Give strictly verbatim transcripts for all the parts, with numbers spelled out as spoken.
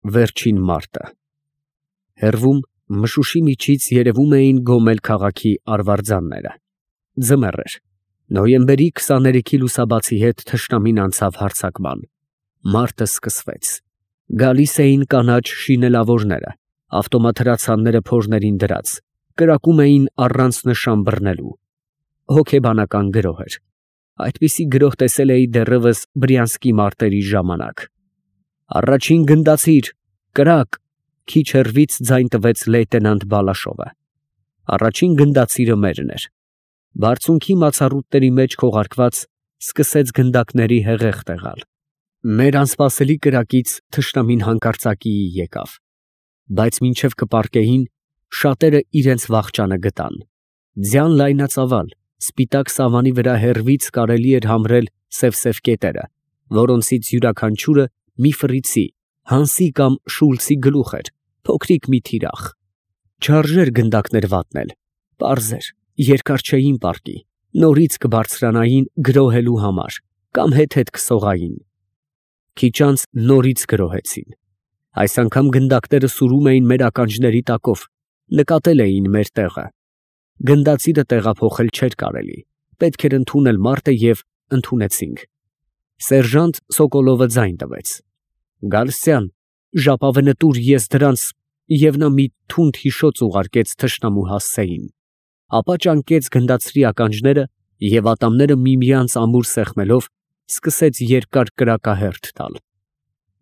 Վերջին մարտը։ Հեռվում մշուշի միջից երևում էին Գոմել քաղաքի արվարձանները։ Ձմեռ էր։ Նոյեմբերի քսաներեքի լուսաբացի հետ թշնամին անցավ հարձակման։ Մարտը սկսվեց։ Գալիս էին կանաչ շինելավորները, ավտոմատ հրացանները փորներին դրած, կրակում էին առանց նշան բռնելու։ Հոգեբանական գրոհ էր։ Այդպիսի գրոհ տեսել էի դեռևս Բրյանսկի մարտերի ժամանակ։ Առաջին գնդացիր, կրակ, քիչ հեռվից ձայն տվեց լեյտենանտ Բալաշովը։ Առաջին գնդացիրը մերն էր։ Բարձունքի մացառուտների մեջ քողարկված սկսեց գնդակների հեղեղ տեղալ։ Մեր անսպասելի կրակից թշնամին հանկարծակիի եկավ։ Բայց մինչև կպառկեին, շատերը իրենց վախճանը գտան։ Ձյան լայնածավալ, սպիտակ սավանի վրա հեռվից կարելի էր համրել սև֊սև կետերը, որոնցից յուրաքանչյուրը մի ֆրիցի, Հանսի կամ Շուլցի գլուխ էր, փոքրիկ մի թիրախ։ Չարժեր գնդակներ վատնել, պարզ էր, երկար չէին պառկի, նորից կբարձրանային գրոհելու համար կամ հետ֊հետ կսողային։ Քիչ անց նորից գրոհեցին։ Այս անգամ գնդակները սուրում էին մեր ականջների տակով, նկատել էին մեր տեղը։ Գնդացիրը տեղափոխել չէր կարելի, պետք էր ընդունել մարտը և ընդունեցինք։ Սերժանտ Սոկոլովը ձայն տվեց. «Գալստյան, ժապավենը տուր, ես դրանց» և նա մի թունդ հիշոց ուղարկեց թշնամու հասցեին, ապա ճանկեց գնդացրի ականջները և ատամները միմյանց ամուր սեղմելով, սկսեց երկար կրակահերթ տալ։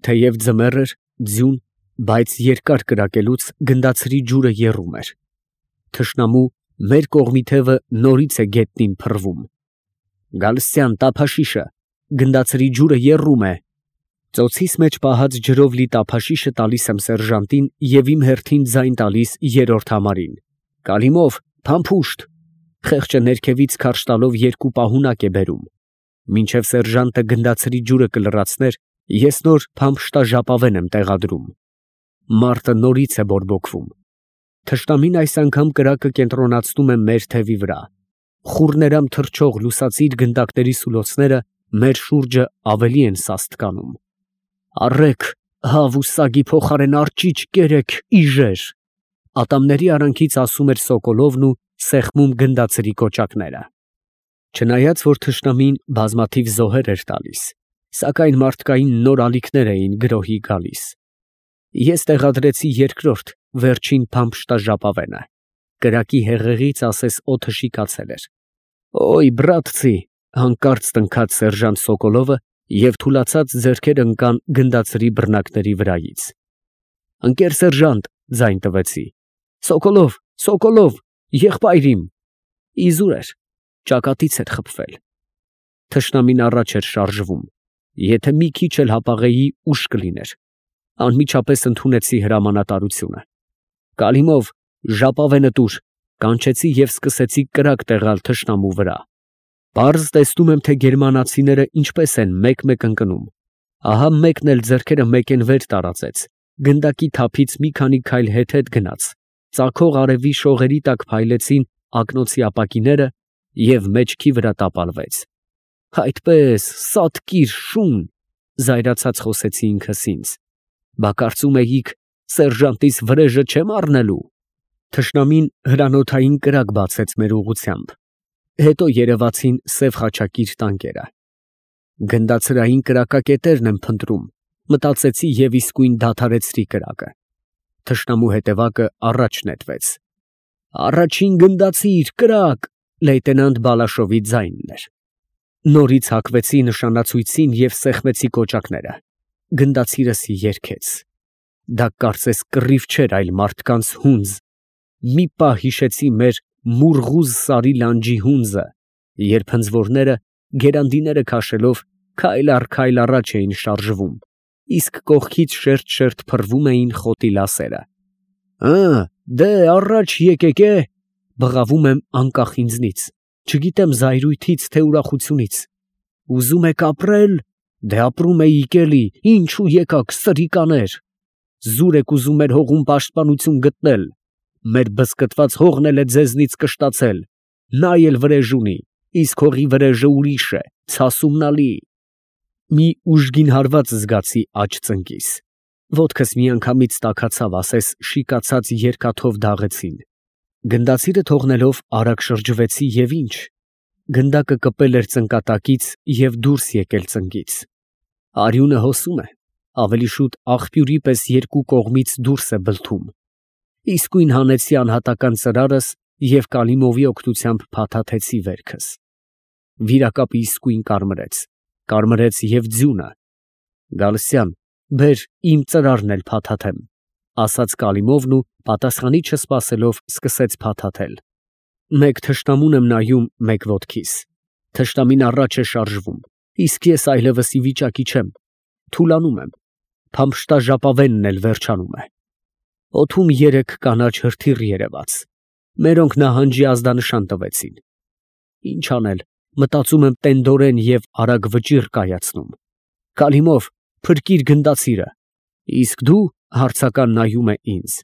Թեև ձմեռ էր, ձյուն, բայց երկար կրակելուց գնդացրի ջուրը եռում էր։ Թշնամու մեր կողմի թևը նորից է գետնին փռվում։ «Գալստյան, տափաշիշը, գնդացրի ջուրը եռում է»։ Ծոցիս մեջ պահած ջրով լի տափաշիշը տալիս եմ սերժանտին և իմ հերթին ձայն տալիս երրորդ համարին։ «Կալիմով, փամփուշտ»։ Խեղճը ներքևից քարշ տալով երկու պահունակ է բերում։ Մինչև սերժանտը գնդացրի ջուրը կլրացներ, ես նոր փամփշտաժապավեն եմ տեղադրում։ Մարտը նորից է բորբոքվում։ Թշնամին այս անգամ կրակը կենտրոնացնում է մեր թևի վրա։ Խուռներամ թռչող լուսացիր գնդակների սուլոցները մեր շուրջը ավելի են սաստ կանում։ «Առեք, հավ ու սագի փոխարեն արջիջ կերեք, իժեր»։ Ատամների արանքից ասում էր Սոկոլովն ու սեղմում գնդացրի կոճակները։ Չնայած որ թշնամին բազմաթիվ զոհեր էր տալիս, սակայն մարդկային նոր ալիքներ էին գրոհի գալիս։ Ես տեղադրեցի երկրորդ, վերջին փամփշտաժապավենը։ Կրակի հեղեղից ասես օդը շիկացել էր։ «Օյ, բրատցի», հանկարծ տնքաց սերժանտ Սոկոլովը և թուլացած ձեռքերը ընկան գնդացրի բռնակների վրայից։ «Ընկեր սերժանտ», ձայն տվեցի։ «Սոկոլով, Սոկոլով, եղբայր իմ»։ Իզուր էր, ճակատից էր խփվել։ Թշնամին առաջ էր շարժվում։ Եթե մի քիչ էլ հապաղեի, ուշ կլիներ։ Անմիջապես ընդունեցի հրամանատարությունը։ «Կալիմով, ժապավենը տուր», կանչեցի և սկսեցի կրակ տեղալ թշնամու վրա։ Պարզ տեսնում եմ, թե գերմանացիները ինչպես են մեկ֊մեկ ընկնում։ Ահա մեկն էլ ձեռքերը մեկեն վեր տարածեց, գնդակի թափից մի քանի քայլ հետ֊հետ գնաց, ծագող արևի շողերի տակ փայլեցին ակնոցի ապակիները և մեջքի վրա տապալվեց։ «Այդպես, սատկիր, շուն», զայրացած խոսեցի ինքս ինձ։ «Բա կարծում էիք սերժանտիս վրեժը չեմ առնելու»։ Թշնամին հրանոթային կրակ բացեց մեր ուղղությամբ։ Հետո երևացին սև խաչակիր տանկերը։ Գնդացրային կրակակետերն եմ փնտրում, մտածեցի և իսկույն դադարեցրի կրակը։ Թշնամու հետևակը առաջ նետվեց։ «Առաջին գնդացիր, կրակ», լեյտենանտ Բալաշովի ձայնն էր։ Նորից հակվեցի նշանացույցին և սեղմեցի կոճակները։ Գնդացիրս երգեց։ Դա կարծես կռիվ չէր, այլ մարդկանց հունձ։ Մի պահ հիշեցի մեր Մուրղուզ սարի լանջի հունձը, երբ հնձվորները, գերանդիները քաշելով, քայլ առ քայլ առաջ էին շարժվում, իսկ կողքից շերտ֊շերտ փռվում էին խոտի լասերը։ «Հը, դե, առաջ եկեք, է», բղավում եմ անկախ ինձնից, չգիտեմ զայրույթից, թե ուրախությունից։ «Ուզում եք ապրել, դե ապրում էիք էլի, ինչու եկաք, սրիկաներ։ Զուր եք ուզում մեր հողում պաշտպանություն գտնել, մեր բզկտված հողն էլ է ձեզնից կշտացել, նա էլ վրեժ ունի, իսկ հողի վրեժը ուրիշ է, ցասումնալի»։ Մի ուժգին հարված զգացի աջ ծնկիս։ Ոտքս միանգամից տաքացավ, ասես շիկացած երկաթով դաղեցին։ Գնդացիրը թողնելով արագ շրջվեցի և ինչ, գնդակը կպել էր ծնկատակից և դուրս եկել ծնկից։ Արյունը հոսում է, ավելի շուտ աղբյուրի պես երկու կողմից դուրս է բլթում։ Իսկույն հանեցի անհատական ծրարս և Կալիմովի օգնությամբ փաթաթեցի վերքս։ Վիրակապը իսկույն կարմրեց, կարմրեց և ձյունը։ Գալստյան, բեր իմ ծրարն էլ փաթաթեմ, ասաց Կալիմովն ու պատասխանի չսպասելով սկսեց փաթաթել։ Մեկ թշնամուն եմ նայում, մեկ ոտքիս։ Թշնամին առաջ է շարժվում, իսկ ես այլևս ի վիճակի չեմ, թուլանում եմ, փամփշտաժապավենն էլ վերջանում է։ Օդում երեք կանաչ հրթիռ երևաց, մերոնք նահանջի ազդանշան տվեցին։ Ինչ անել, մտածում եմ տենդորեն և արագ վճիռ կայացնում։ Կալիմով, փրկիր գնդացիրը։ Իսկ դու, հարցական նայում է ինձ,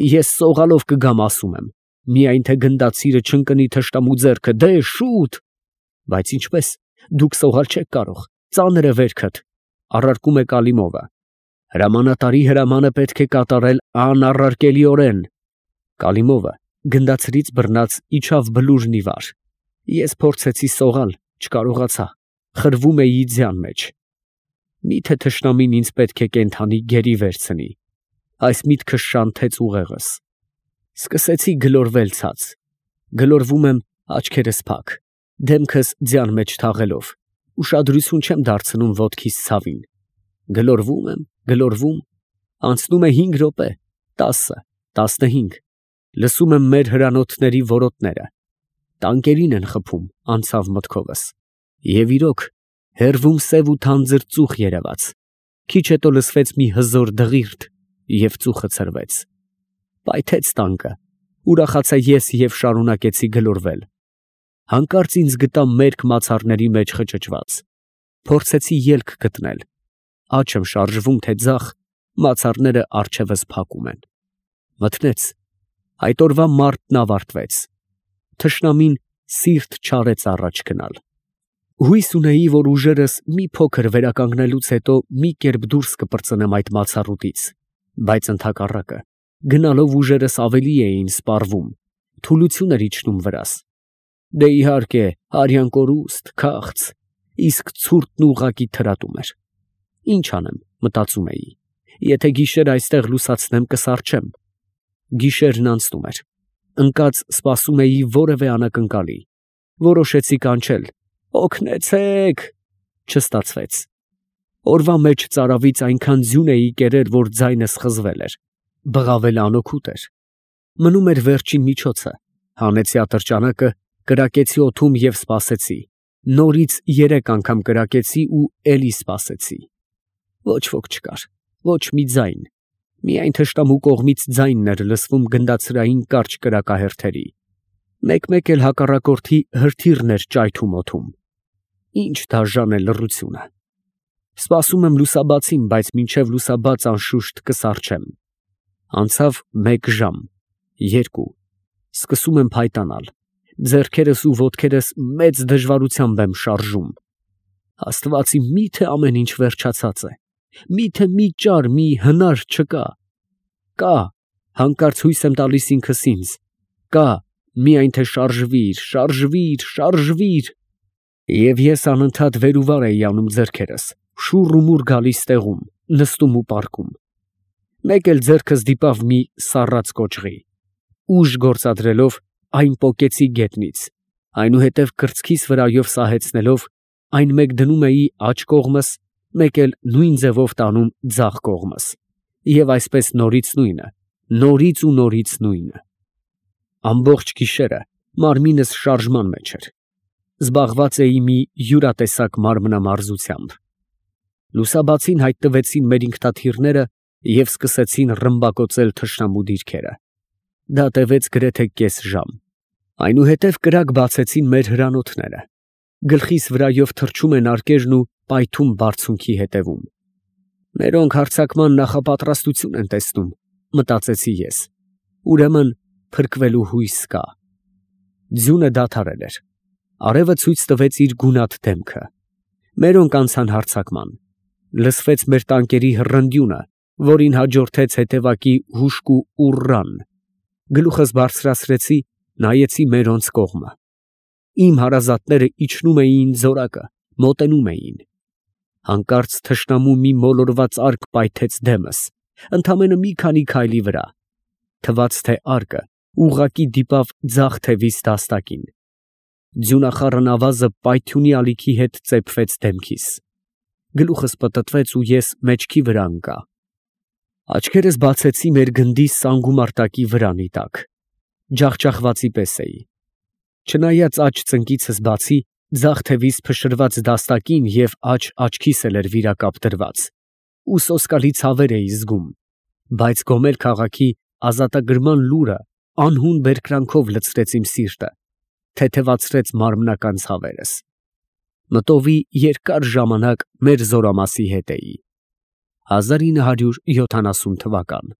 ես սողալով կգամ, ասում եմ, միայն թե գնդացիրը չընկնի թշնամու ձեռքը, դե շուտ։ Բայց ինչպես, դուք սողալ չեք կարող, ծանր է վերքդ, առարկում է Կալիմովը։ Հրամանատարի հրամանը պետք է կատարել անառարկելիորեն։ Կալիմովը գնդացրից բռնած իջավ բլուրն ի վար։ Ես փորձեցի սողալ, չկարողացա, խրվում էի ձյան մեջ։ Միթե թշնամին ինձ պետք է կենդանի գերի վերցնի։ Այս միտքը շանթեց ուղեղս։ Սկսեցի գլորվել ցած։ Գլորվում եմ, աչքերս փակ, դեմքս ձյան մեջ թաղելով, ուշադրություն չեմ դարձնում ոտքիս ցավին։ Գլորվում եմ, գլորվում, անցնում է հինգ րոպե, տասը, տասնհինգ, լսում եմ մեր հրանոթների որոտները, տանկերին են խփում, անցավ մտքովս։ Եվ իրոք, հեռվում սև ու թանձր ծուխ երևաց, քիչ հետո լսվեց մի հզոր դղիրդ և ծուխը ցրվեց։ Պայթեց տանկը, ուրախացա ես և շարունակեցի գլորվել։ Հանկարծ ինձ գտա մերկ մացառների մեջ խճճված։ Փորձեցի ելք գտնել, աջ եմ շարժվում, թե ձախ, մացառները առջևս փակում են։ Մթնեց, այդ օրվա մարտն ավարտվեց։ Թշնամին սիրտ չարեց առաջ գնալ։ Հույս ունեի, որ ուժերս մի փոքր վերականգնելուց հետո մի կերպ դուրս կպրծնեմ այդ մացառուտից, բայց ընդհակառակը, գնալով ուժերս ավելի էին սպառվում, թուլություն էր իջնում վրաս։ Դե իհարկե, արյան կորուստ, քաղց, իսկ ցուրտն ուղղակի թրատում էր։ Ինչ անեմ, մտածում էի, եթե գիշեր այստեղ լուսացնեմ, կսառչեմ։ Գիշերն անցնում էր, ընկած սպասում էի որևէ անակնկալի։ Որոշեցի կանչել. «Օգնեցե՛ք»։ Չստացվեց։ Օրվա մեջ ծարավից այնքան ձյուն էի կերել, որ ձայնս խզվել էր։ Բղավելը անօգուտ էր։ Մնում էր վերջին միջոցը, հանեցի ատրճանակը, կրակեցի օդում և սպասեցի։ Նորից երեք անգամ կրակեցի ու էլի սպասեցի։ Ոչ ոք չկար, ոչ մի ձայն, միայն թշնամու կողմից ձայնն էր լսվում գնդացրային կարճ կրակահերթերի։ Մեկ֊մեկ էլ հակառակորդի հրթիռն էր ճայթում օդում։ Ինչ դաժան է լռությունը։ Սպասում եմ լուսաբացին, բայց մինչև լուսաբաց անշուշտ կսառչեմ։ Անցավ մեկ ժամ, երկու, սկսում եմ փայտանալ, ձեռքերս ու ոտքերս մեծ դժվարությամբ եմ շարժում։ Աստված իմ, մի՞թե ամեն ինչ վերջացած է, մի՞թե մի ճար, մի հնար չկա։ Կա, հանկարծ հույս եմ տալիս ինքս ինձ, կա, միայն թե շարժվիր, շարժվիր, շարժվիր։ Եվ ես անընդհատ վեր ու վար էի անում ձեռքերս, շուռ ու մուռ գալիս տեղում, նստում ու պառկում։ Մեկ էլ ձեռքս դիպավ մի սառած կոճղի։ Ուժ գործադրելով, այն պոկեցի գետնից, այնուհետև կրծքիս վրայով սահեցնելով, այն մեկ դնում էի աջ կողմս, մեկ էլ նույն ձևով տանում ձախ կողմս, և այսպես նորից նույնը, նորից ու նորից նույնը։ Ամբողջ գիշերը մարմինս շարժման մեջ էր։ Զբաղված էի մի յուրատեսակ մարմնամարզությամբ։ Լուսաբացին հայտնվեցին մեր ինքնաթիռները և սկսեցին ռմբակոծել թշնամու դիրքերը։ Դա տևեց գրեթե կես ժամ։ Այնուհետև կրակ բացեցին մեր հրանոթները։ Գլխիս վրայով թռչում են արկերն ու պայթում բարձունքի հետևում։ Մերոնք հարձակման նախապատրաստություն են տեսնում, մտածեցի ես։ Ուրեմն փրկվելու հույս կա։ Ձյունը դադարել էր։ Արևը ցույց տվեց իր գունատ դեմքը։ Մերոնք անցան հարձակման։ Լսվեց մեր տանկերի հռնդյունը, որին հաջորդեց հետևակի հուժկու ուռռան։ Գլուխս բարձրացրեցի, նայեցի մերոնց կողմը։ Իմ հարազատները իջնում էին զորակը, մոտենում էին։ Հանկարծ թշնամու մի մոլորված արկ պայթեց դեմս, ընդամենը մի քանի քայլի վրա։ Թվաց, թե արկը ուղղակի դիպավ ձախ թևիս դաստակին։ Ձյունախառն ավազը պայթյունի ալիքի հետ ծեփվեց դեմքիս։ Գլուխս պտտվեց ու ես մեջքի վրա ընկա։ Աչքերս բացեցի մեր գնդի սանգումարտակի վրանի տակ։ Ջախջախվածի պես էի։ Չնայած աջ ծնկիցս բացի, ձախ թևիս փշրված դաստակին և աջ աչքիս էլ էր վիրակապ դրված, ու սոսկալի ցավեր էի զգում, բայց Գոմել քաղաքի ազատագրման լուրը անհուն բերկրանքով լցրեց իմ սիրտը, թեթևացրեց մարմնական ցավերս։ Մտովի երկար ժամանակ մեր զորամասի հետ էի։ հազար ինը հարյուր յոթանասուն թվական։